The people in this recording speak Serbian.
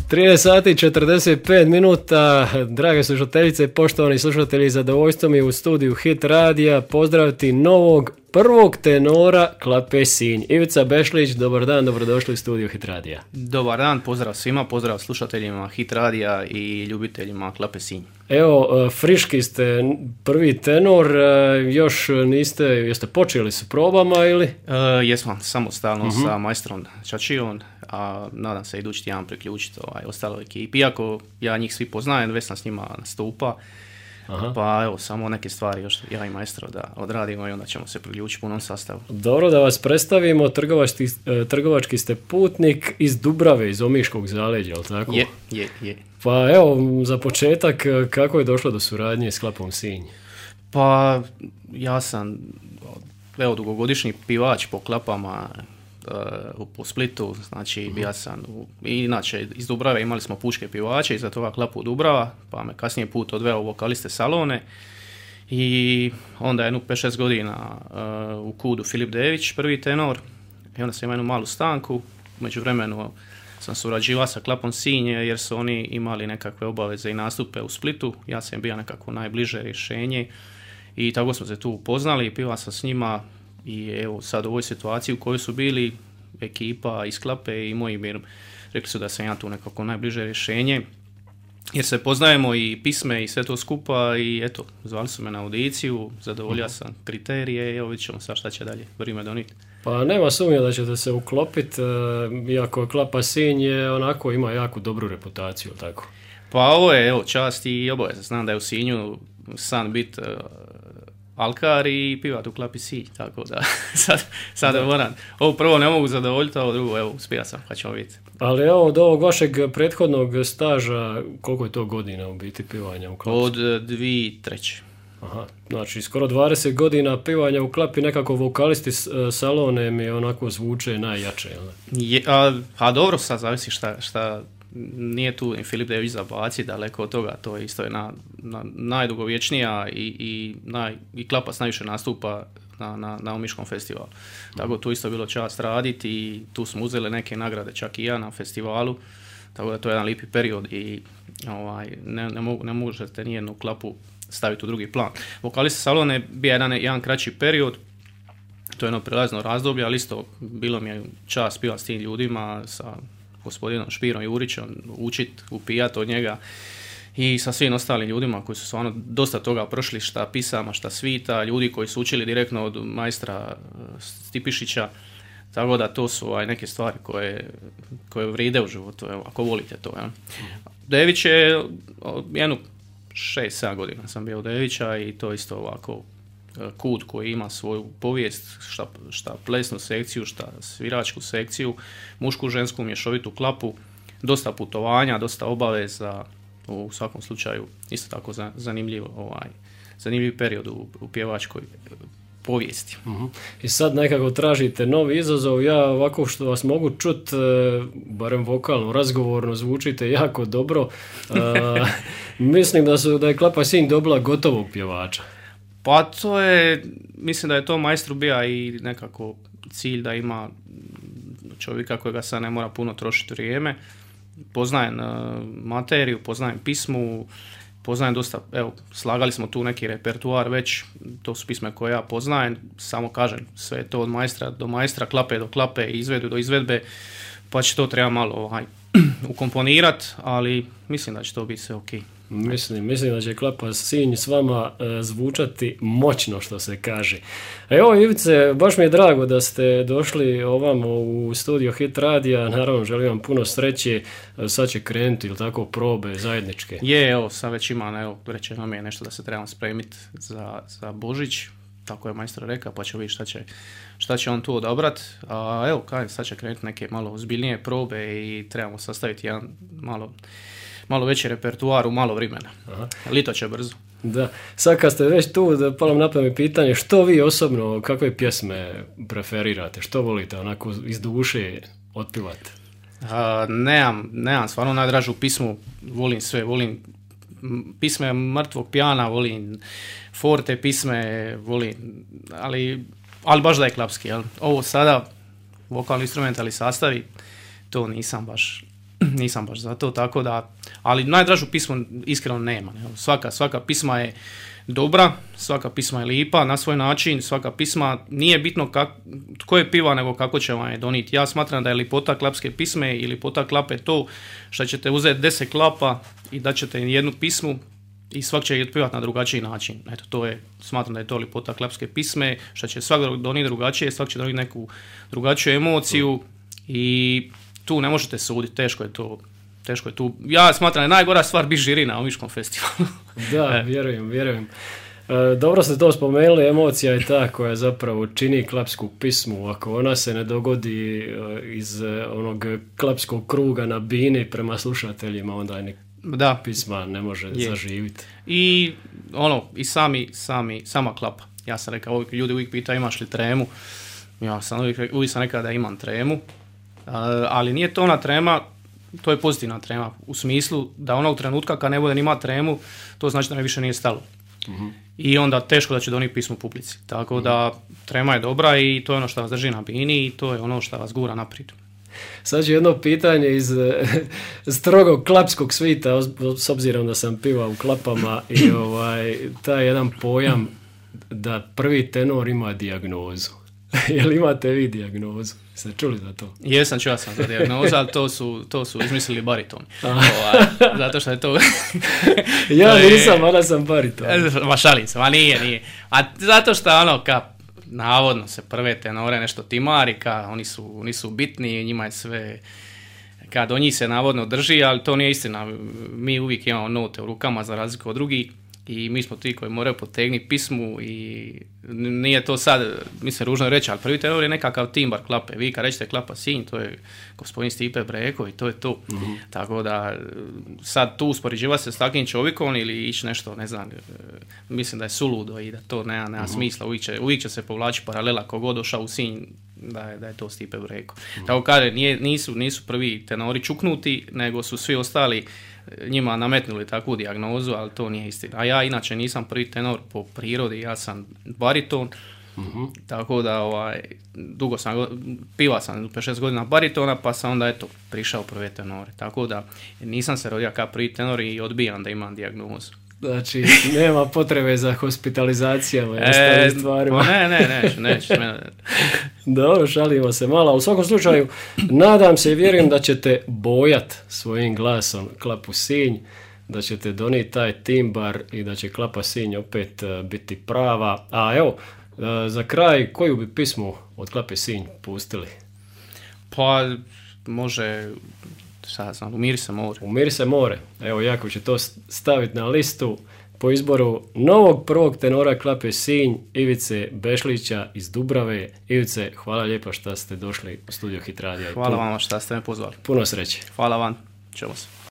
13 sati 45 minuta, drage slušateljice i poštovani slušatelji, zadovoljstvo mi je u studiju Hit radija pozdraviti novog prvog tenora Klape Sinj. Ivica Bešlić, dobar dan, dobrodošli u studiju Hit radija. Dobar dan, pozdrav svima, pozdrav slušateljima Hit radija i ljubiteljima Klape Sinj. Evo, friški ste, prvi tenor, još jeste počeli s probama ili? Jesmo, samostalno sa majstrom Čačijom, a nadam se idući tjedan priključiti ostaloj ekipi. Iako ja njih svi poznajem, već sam s njima nastupa. Aha. Pa evo, samo neke stvari još ja i majstro da odradimo i onda ćemo se priključiti punom sastavu. Dobro, da vas predstavimo, trgovački ste putnik iz Dubrave, iz Omiškog zaleđa, jel tako? Je. Pa evo, za početak, kako je došlo do suradnje s Klapom Sinj? Pa ja sam dugogodišnji pivač po klapama po Splitu, znači bio sam inače iz Dubrave imali smo pučke pivače, iza toga Klapu Dubrava, pa me kasnije put odveo u vokaliste Salone i onda jednu 5-6 godina u Kudu Filip Dević, prvi tenor, i onda sam imao jednu malu stanku, u međuvremenu sam surađivao sa Klapom Sinj jer su oni imali nekakve obaveze i nastupe u Splitu, ja sam bio nekako najbliže rješenje i tako smo se tu upoznali i pivao sam s njima. I evo sad u ovoj situaciji u kojoj su bili ekipa iz Klape i moji mir, rekli su da sam ja tu nekako najbliže rješenje jer se poznajemo i pisme i sve to skupa i eto, zvali su me na audiciju, zadovoljio sam kriterije i evo vidit ćemo sad šta će dalje vrijeme donijeti. Pa nema sumnje da ćete se uklopiti, iako Klapa Sinj je onako ima jako dobru reputaciju, tako? Pa ovo je evo čast i obaveza, znam da je u Sinju san bit alkar i pivat u Klapi Sinj, tako da sad moram. Ovo prvo ne mogu zadovoljiti, a ovo drugo, evo, uspija sam, pa ćemo vidjeti. Ali evo, od ovog vašeg prethodnog staža, koliko je to godina u biti pivanja u Klapi? Od 2003. Aha, znači skoro 20 godina pivanja u Klapi, nekako vokalisti Salone mi onako zvuče najjače, jel? A dobro, sad zavisi šta nije tu i Filip Dević zabaci, daleko od toga, to je isto jedna najdugovječnija i Klapac najviše nastupa na Omiškom festivalu. Tako tu isto bilo čast raditi i tu smo uzeli neke nagrade, čak i ja na festivalu, tako da to je jedan lijepi period i ne možete nijednu Klapu staviti u drugi plan. Vokalista Salone bio jedan kraći period, to je jedno prelazno razdoblje, ali isto bilo mi je čast pivati s tim ljudima, sa gospodinom Špirom Jurićem, učit, upijat od njega i sa svim ostalim ljudima koji su stvarno dosta toga prošli, šta pisama, šta svita, ljudi koji su učili direktno od majstra Stipišića, tako da to su neke stvari koje vride u životu, ako volite to. Dević je jednu 6-7 godina sam bio u Devića i to isto ovako Kud koji ima svoju povijest, šta plesnu sekciju, šta sviračku sekciju, mušku, žensku, mješovitu Klapu, dosta putovanja, dosta obaveza, u svakom slučaju isto tako zanimljiv period u pjevačkoj povijesti. Uh-huh. I sad nekako tražite novi izazov, ja ovako što vas mogu čuti, barem vokalno, razgovorno, zvučite jako dobro, mislim da je Klapa Sinj dobila gotovog pjevača. Pa to je, mislim da je to majstru bija i nekako cilj da ima čovjeka kojega sad ne mora puno trošiti vrijeme. Poznajem materiju, poznajem pismu, poznajem dosta, evo, slagali smo tu neki repertuar već, to su pisme koje ja poznajem, samo kažem, sve je to od majstra do majstra, Klape do Klape, izvedu do izvedbe, pa će to treba malo ukomponirati, ali mislim da će to biti sve okej. Mislim da će Klapa Sinj s vama zvučati moćno, što se kaže. Evo, Ivice, baš mi je drago da ste došli ovamo u studio Hit radija, naravno želim vam puno sreće, sad će krenuti ili tako probe zajedničke. Evo, sad već ima, evo, rečeno mi je nešto da se trebamo spremiti za Božić, tako je majstor rekao, pa ćemo vidjeti šta će on tu odabrati. A evo, sad će krenuti neke malo ozbiljnije probe i trebamo sastaviti jedan malo veći repertuar u malo vremena. Aha. Lito će brzo. Da, sad kad ste već tu, da palo na pamet pitanje, što vi osobno, kakve pjesme preferirate, što volite onako iz duše otpivati? Nemam stvarno najdražu pismu, volim sve, volim pisme mrtvog pijana, volim forte pisme, volim, ali baš da je klapski, jel? Ovo sada, vokalno instrumentalni sastavi, to nisam baš nisam baš za to, tako da, ali najdražu pismu iskreno nema. Ne? Svaka pisma je dobra, svaka pisma je lipa na svoj način, svaka pisma nije bitno tko je piva, nego kako će vam je donijeti. Ja smatram da je lipota klapske pisme i lipota klape to što ćete uzeti 10 klapa i da ćete jednu pismu i svak će je otpivati na drugačiji način. Eto, to je, smatram da je to lipota klapske pisme, što će svak donijeti drugačije, svak će donijeti neku drugačiju emociju i tu ne možete suditi, teško je tu. Ja smatram da je najgora stvar biti žiri na Omiškom festivalu. Da, vjerujem. Dobro ste to spomenuli, emocija je ta koja zapravo čini klapsku pismu. Ako ona se ne dogodi iz onog klapskog kruga na bini prema slušateljima, onda je pisma ne može zaživiti. I sama klapa. Ja sam rekao, ljudi uvijek pitaju imaš li tremu. Ja sam uvijek sam rekao da imam tremu. Ali nije to ona trema, to je pozitivna trema. U smislu da onog trenutka kad ne bude nima tremu, to znači da me više nije stalo. Mm-hmm. I onda teško da će donijeti pismo publici. Tako da trema je dobra i to je ono što vas drži na bini i to je ono što vas gura naprijed. Sad ću jedno pitanje iz strogog klapskog svita, s obzirom da sam pivao u klapama i taj jedan pojam da prvi tenor ima dijagnozu. Jel imate vi dijagnozu? Ste čuli za to? Jesam, čuo sam za dijagnozu, ali to su izmislili baritoni. Zato što je to... nisam, ali sam bariton. Ma šalim se, ma nije. A zato što navodno se prve tenore nešto timari, oni su bitni, njima je sve... Kad do njih se navodno drži, ali to nije istina. Mi uvijek imamo note u rukama za razliku od drugih. I mi smo ti koji moraju potegnuti pismu i nije to sad, mislim, ružno reći, ali prvi tenor je nekakav timbar klape. Vi kad rećete klapa Sinj, to je gospodin Stipe Breko i to je to. Mm-hmm. Tako da sad tu uspoređiva se s takvim čovjekom ili ići nešto, ne znam, mislim da je suludo i da to nema smisla. Uvijek će se povlači paralela kogod došao u Sinj da je to Stipe Breko. Tako kaže, nisu prvi tenori čuknuti, nego su svi ostali njima nametnuli takvu dijagnozu, ali to nije istina. A ja inače nisam prvi tenor po prirodi, ja sam bariton, tako da dugo sam, pivao sam 5-6 godina baritona, pa sam onda prišao prve tenore. Tako da nisam se rodio kao prvi tenor i odbijam da imam dijagnozu. Znači, nema potrebe za hospitalizacijama i ostalim stvarima. Neću. Dobro, šalimo se malo. U svakom slučaju, nadam se i vjerujem da ćete bojat svojim glasom klapu Sinj, da ćete donijeti taj timbar i da će klapa Sinj opet biti prava. A evo, za kraj, koju bi pismu od klape Sinj pustili? Pa, može... Umiri se more. Umiri se more. Evo, Jakov će to staviti na listu po izboru novog prvog tenora klape Sinj, Ivice Bešlića iz Dubrave. Ivice, hvala lijepo što ste došli u studio Hit Radija. Hvala vam što ste me pozvali. Puno sreće. Hvala vam. Čujemo se.